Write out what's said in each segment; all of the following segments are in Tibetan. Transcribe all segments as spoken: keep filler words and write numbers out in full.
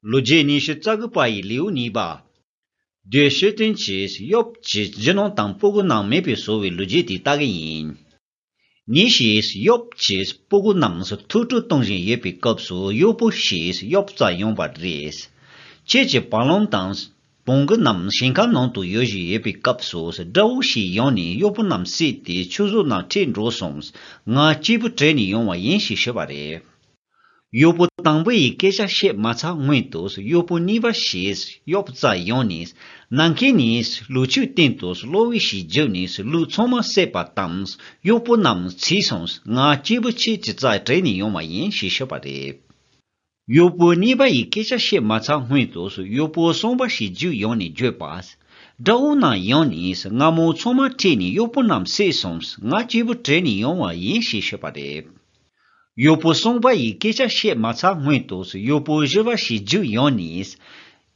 ལོ་རྒྱུས་ཉི་ཤུ་རྩ་དགུ་པ་ཡི་ལེའུ་གཉིས་པ། དེ་ཤེས་ལྡན་གྱིས་ཡོབ་ཀྱི་རྒྱུ་ནོར་དང་སྤུ་གུ་རྣམས་མེད་པར་བཟོ་བའི་ལོ་རྒྱུས་དེ་ལྟ་གི་ཡིན། ཉིན་ཞིག་ཡོབ་ཀྱི་སྤུ་གུ་རྣམས་ཐུགས་སྤྲོ་གཏོང་བཞིན་ཡོད་པའི་སྐབས་སུ་གཡོག་པོ་ཞིག་ཡོབ་རྩར་ཡོང་བ་རེད། ཁྱེད་ཀྱི་བ་ལང་དང་བོང་གུ་རྣམས་ཞིང་ཁ་ནང་དུ་ཡོད་བཞིན་ཡོད་པའི་སྐབས་སུ་དགྲ་བོ་ཞིག་ཡོང་ནས་གཡོག་པོ་རྣམས་བསད་དེ་ཆུ་ཟོག་ནང་ཁྲིད་འགྲོ་སོང་། ང་སྐྱིད་པོ་བྲོས་ནས་ཡོང་བ་ཡིན་ཞེས་ཤོད་པ་རེད། གཡོག་པོ་དང་པོ་ཡི་སྐད་ཆ་བཤད་མ་ཚར་སྔོན་དུ་གཡོག་པོ་གཉིས་པ་ཞིག་ཡོབ་རྩར་ཡོང་ནས། ནམ་མཁའི་ནས་ལུག་ཁྱུའི་སྟེང་དུ་གློ་བུར་ཞིག་རྒྱུགས་ནས་ལུག་ཚང་མ་བསད་པ་དང་། གཡོག་པོ་རྣམས་ཚིག་སོང་། ང་སྐྱིད་པོ་ཁྱེད་ཀྱི་རྩར་བྲོས་ནས་ཡོང་བ་ཡིན་ཞེས་ཤོད་པ་རེད། གཡོག་པོ་གཉིས་པ་ཡི་སྐད་ཆ་བཤད་མ་ཚར་སྔོན་དུ་གཡོག་པོ་གསུམ་པ་ཞིག་རྒྱུགས་ཡོང་ནས་བརྗོད་པ། དགྲ་བོ་རྣམས་ཡོང་ནས་རྔ་མོང་ཚང་མ་ཁྲིད་ནས་གཡོག་པོ་རྣམས་བསད་སོང་། ང་སྐྱིད་པོ་བྲོས་ནས་ཡོང་བ་ཡིན་ཞེས་ཤོད་པ་རེད། གཡོག་པོ་གསུམ་པ་ཡི་སྐད་ཆ་བཤད་མ་ཚར་སྔོན་དུ་གཡོག་པོ་བཞི་པ་ཞིག་རྒྱུགས་ཡོང་ནས།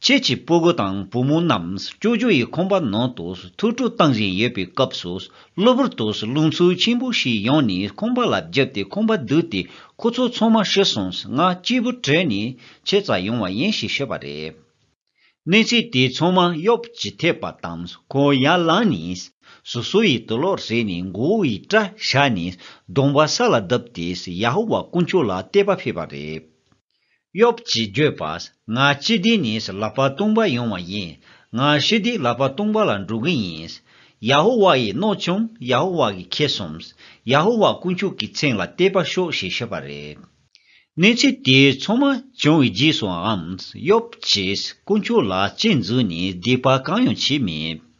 ཁྱེད་ཀྱི་སྤུ་གུ་དང་བུ་མོ་རྣམས་སྐྱོ་སྦྱོང་ཡི་ཁང་པ་ནང་དུ་ཐུགས་སྤྲོ་གཏོང་བཞིན་ཡོད་པའི་སྐབས་སུ་གློ་བུར་དུ་རླུང་འཚུབ་ཆེན་པོ་ཞིག་ཡོང་ནས་ཁང་པ་ལ་རྒྱབ་སྟེ་ཁང་པ་བརྡུབས་ཏེ་ཁོ་ཚོ་ཚང་མ་ཤི་སོང་། ང་སྐྱིད་པོ་བྲོས་ནས་ཁྱེད་རྩར་ཡོང་བ་ཡིན་ཞེས་ཤོད་པ་རེད། གནས་ཚུལ་དེ་ཚང་མ་ཡོབ་ཀྱིས་ཐོས་པ་དང་ཁོང་ཡར་ལངས་ནས་སོ་སོ་ཡི་དུག་ལོག་བཟས་ནས་མགོ་བོ་ཡི་སྐྲ་བཞར་ནས་གདོང་པ་ས་ལ་བརྡབས་ཏེ་ཡ་ཧོ་ཝཱ་དཀོན་མཆོག་ལ་བསྟོད་པ་ཕུལ་བ་རེད། ཡོབ་ཀྱིས་བརྗོད་པ། ང་སྤྱི་བདེ་ནས་ལག་པ་སྟོང་པ་ཡོང་བ་ཡིན། ང་ཞི་བདེ་ལག་པ་སྟོང་པ་ལ་འགྲོ་གི་ཡིན། ཡ་ཧོ་ཝཱ་ཡིས་མནོ་བྱུང་། ཡ་ཧོ་ཝཱ་གིས་ཁྱེར་སོང་། ཡ་ཧོ་ཝཱ་དཀོན་མཆོག་གི་མཚན་ལ་བསྟོད་པ་ཤོག་ཞེས་ཤོད་པ་རེད། གནས་ཚུལ་དེ་ཚང་མ་བྱུང་བའི་རྗེས་སུའང་ཡོབ་ཀྱིས་དཀོན་མཆོག་ལ་གཅེས་འཛིན་ནས་སྡིག་པ་གང་ཡང་བྱས་མེད།